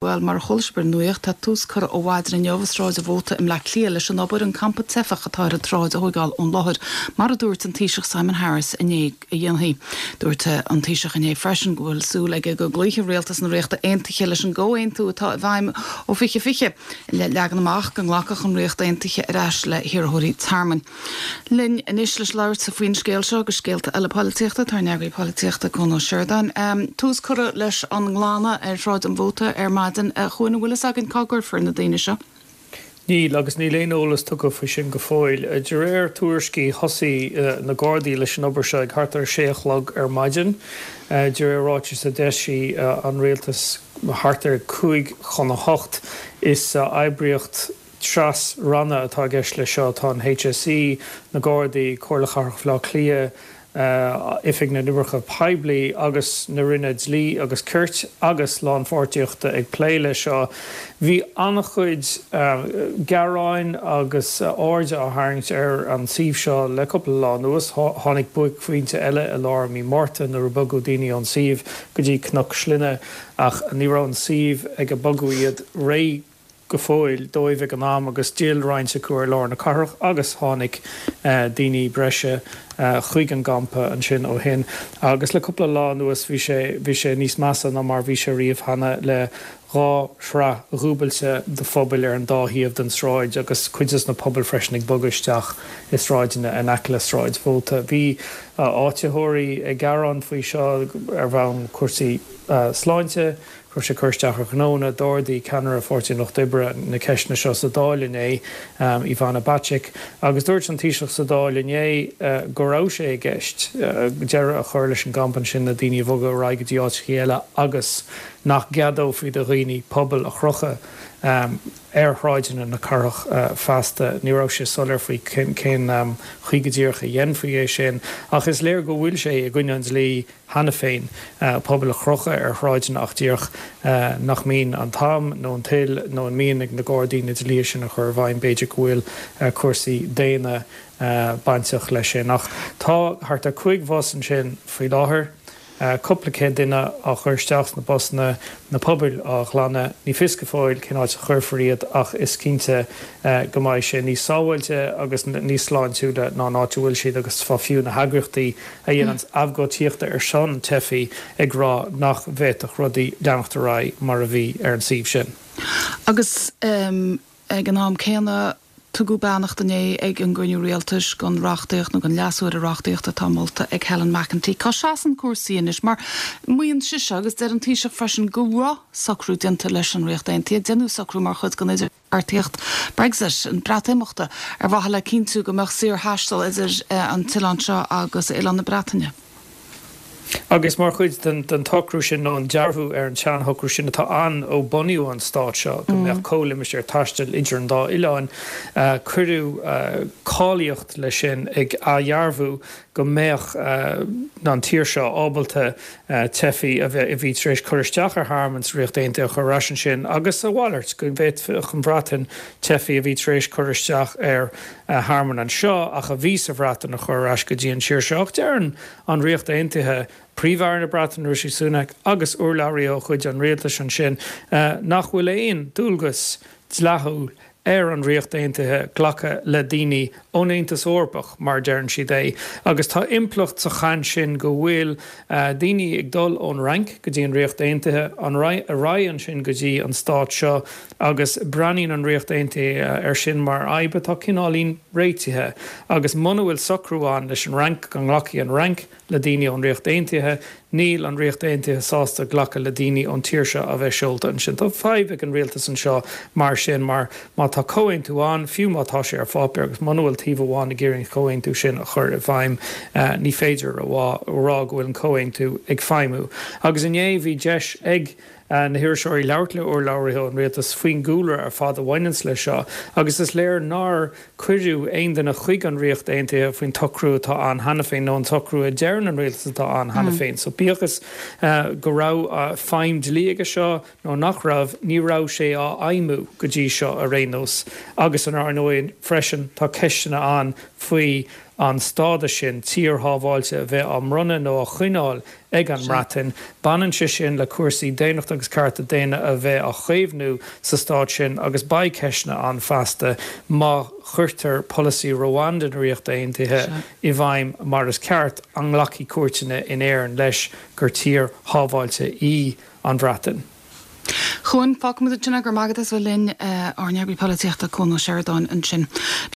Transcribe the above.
Bhuel, mar a chuala sibh ar an nuacht, tá tús curtha ó mhaidin inniu i Sráid an Mhóta i mBleá Cliath leis an obair an campa teifeach atá ar an tsráid a thóigeáil ón láthair, mar a dúirt an Taoiseach Simon Harris inné a dhéanfaí. Dúirt an Taoiseach inné freisin go bhfuil súil aige go gcloífidh Rialtas na Ríochta Aontaithe leis an gcomhaontú atá i bhfeidhm ó 2020 le leagan amach go nglacfadh an Ríocht Aontaithe ar ais le hiarrthóirí tearmainn. Linn anois le labhairt faoin scéal seo agus scéalta eile polaitíochta, tá ár n-eagraí polaitíochta Cuan Ó Seireadáin. Tús curtha leis an nglanadh ar Shráid an Mhóta ar maidin. A Chuain, an bhfuil fhios againn cá gcuirfear na daoine seo? Níl, agus níl aon eolas tugtha faoi sin go fóill. De réir tuairiscí, thosaigh na Gardaí leis an obair seo ag thart ar a sé a chlog ar maidin. De réir ráitis a d'eisigh an rialtas thart ar 7:55, is oibríocht tras-ranna atá i gceist leis seo. Tá an HSE, na Gardaí, Comhairle Chathrach Bhaile Átha Cliath, Oifig na nOibreacha Poiblí agus na Roinne Dlí agus Cirt agus Lánpháirtíochta ag plé leis seo. Bhí an-chuid gearáin agus airde á tharraingt ar an suíomh seo le cúpla lá anuas. Tháinig buaicphointe eile i lár mí Márta nuair a bogadh daoine ón suíomh go dtí Cnoc Slinne ach ní raibh an suíomh ag a bogadh iad réidh go fóill dóibh ag an am agus d'fhill roinnt acu ar lár na cathrach agus tháinig daoine breise chuig an gcampa ansin ó shin agus le cúpla lá anuas bhí sé bhí sé níos measa ná mar bhí sé riamh cheana le 2 shraith dhúbailte de phubaill ar an dá thaobh den sráid agus cuid des na pubaill freisin ag bogadh isteach i sráideanna in aice le Sráid Mhóta. Bhí áititheoirí ag gearán faoi seo ar bhonn cúrsaí sláinte. Go raibh sé ag cur isteach ar ghnónna. D'ardaigh ceannaire Pháirtí an Lucht Oibre na ceisteanna seo sa Dáil inné, Ivana Bacik, agus dúirt an Taoiseach sa Dáil inné go raibh sé i gceist deireadh a chur leis an gcampa ansin, na daoine a bhogadh ar aghaidh go dtí áiteachaí eile agus nach gceadófaí do dhaoine pubaill a chrochadh ar shráideanna na cathrach feasta. Ní raibh sé soiléir faoi cén chaoi go díreach a dhéanfaí é sin ach is léir go bhfuil sé i gcoinne an dlí cheana féin, pubaill a chrochadh ar shráideanna ach díreach nach mbíonn an t-am nó an toil nó an mian ag na Gardaí na dlíthe sin a chur i bhfeidhm. B'fhéidir go bhfuil cúrsaí daonna bainteach leis sin. Ach tá thart ar 5 bhus ansin faoi láthair, cúpla céad duine á chur isteach sna busanna, na pubaill á ghlanadh. Ní fios go fóill cén áit a chuirfear iad ach is cinnte go mbeidh sé níos sábháilte agus níos sláintiúla ná an áit a bhfuil siad agus tá fiú na heagraíochtaí a dhéananns abhcóidíocht ar son teifigh ag rá nach bhféadfadh rudaí leanacht ar aghaidh mar a bhí ar an suíomh sin. Agus ag an am céanna, tugadh beannacht inné ag an gcruinniú rialtais don reachtaíocht nó don leasú ar an reachtaíocht atá molta ag Helen McEntee. Cá seasann cúrsaí anois? Mar maíonn sise, agus deir an Taoiseach freisin, go raibh socrú déanta leis an Ríocht Aontaithe, deineadh socrú mar chuid den idir. bheartaíocht Brexit, an Breatimeachta, ar mhaithe le cinntiú go mbeadh saorthaisteal idir an t-oileán seo agus oileán na Breataine. Agus mar chuid den tsocrú sin, nó an dearbhú ar an tseanshocrú sin atá ann ó bunaíodh an stát seo, go mbeadh comhlimistéar taistil idir an dá oileán, cuireadh cáilíocht leis sin ag athdhearbhú go mbeadh an tír seo ábalta teifigh a bhí tar éis cur isteach ar thearmann sa Ríocht Aontaithe a chur ar ais ansin agus a mhalairt, go bhféadfadh an Bhreatain teifigh a bhí tar éis cur isteach ar thearmann anseo ach a bhí sa Bhreatain a chur ar ais go dtí an tír seo. Ach deireann an Ríocht Aontaithe, Príomh-Aire na Breataine Rishi Sunak agus urlabhraí ó chuid an rialtais ansin nach bhfuil aon dualgas dleathúil ar an Ríocht Aontaithe glacadh le daoine ón Aontas Eorpach, mar a deireann siad é, agus tá impleacht sa chaint sin go bhfuil daoine ag dul ón Fhrainc go dtí an Ríocht Aontaithe, ar aghaidh ansin go dtí an stát seo agus breathnaíonn an Ríocht Aontaithe air sin mar fhadhb atá cineáilín réitithe agus muna bhfuil socrú ann leis an Fhrainc go nglacfaidh an Fhrainc le daoine ón Ríocht Aontaithe. Níl an Ríocht Aontaithe sásta glacadh le daoine ón tír seo a bheith seolta ansin. Tá fadhb ag an rialtas anseo mar sin mar má tá comhaontú ann, fiú má tá sé ar pháipéar agus muna bhfuil taobh amháin ag iarraidh an comhaontú sin a chur i bhfeidhm, ní féidir a rá go bhfuil an comhaontú ag feidhmiú. Agus inné bhí deis ag na hiriseoirí labhairt le urlabhraithe ón rialtas faoin gcúlra ar fad a bhaineanns leis seo agus is léir nár cuireadh aon duine chuig an Ríocht Aontaithe faoin tsocrú atá ann cheana féin nó an socrú a deireann an rialtas atá ann cheana féin. So bíodh is go raibh feidhm dlí aige seo nó nach raibh, ní raibh sé á fheidhmiú go dtí seo ar aon nós. Agus ar ndóigh freisin tá ceisteanna ann faoi. An stádas sin, tír shábháilte, a bheith á mbronnadh nó á choinneáil ag an mBreatain, baineann sé sin le cúrsaí daonnachta agus cearta daonna a bheith á chaomhnú sa stát sin agus beidh ceisteanna ann feasta má chuirtear polasaí Rwanda na Ríochta Aontaithe i bhfeidhm mar is ceart, an nglacfaidh cúirteanna in Éirinn leis gur tír shábháilte í an Bhreatain? Chuan, fágfaimid ansin é, go raibh maith agat as bheith linn, ár n-eagraí polaitíochta, Cuan Ó Seireadáin ansin.